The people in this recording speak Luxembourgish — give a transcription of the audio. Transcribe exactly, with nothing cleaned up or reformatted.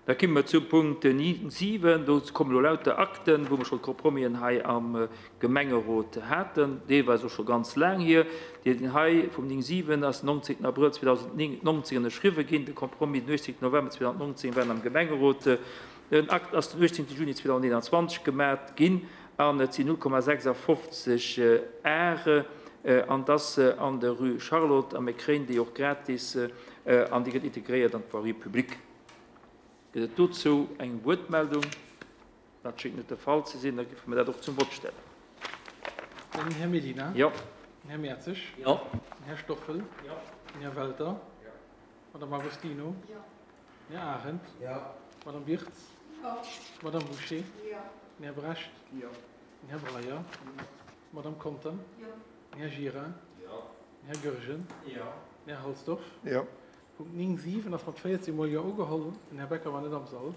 Da komme mer zum Punkt siwen. Do kommen elo lauter Akten, wou mer scho Compromisen hei am Gemengerot haten, deelweis och scho ganz laang hier. Deen hei vum néng siwen ass den neunzehnten Abrëll zweedausendneunzehn ënnerschriwwen ginn. De Compromis den achtzehnten November zweedausendneunzehn war am Gemengerot. Den Akt ass den achtzehnten Juni zweedausendeenundzwanzeg gemaach ginn an et sinn null Komma sechsundfünfzig Are an das an der Rue Charlotte a mir kréien déi och gratis an déi gëtt integréiert an d'Voirie publique. Gëtt et dozou eng Wuertmeldung? Dat schéngt net de Fall ze sinn, da géife mir dat och zum Vott stellen. Den Här Medina. Jo. Den Här Mertzig. Jo. Den Här Stoffel. Jo. Den Här Welter. Jo. Madame Agostino. Jo. Den Här Arendt. Jo. Madame Wirtz. Jo. Madame Bouché. Jo. Den Här Brecht. Jo. Den Här Breyer. Jo. Madame Conter. Jo. Den Här Gira. Jo. Den Här Goergen. Jo. Den Här Halsdorf. Jo. Punkt néng siwen ass mat véierzehn Mol Jo ugeholl. Den Här Becker war net am Sall.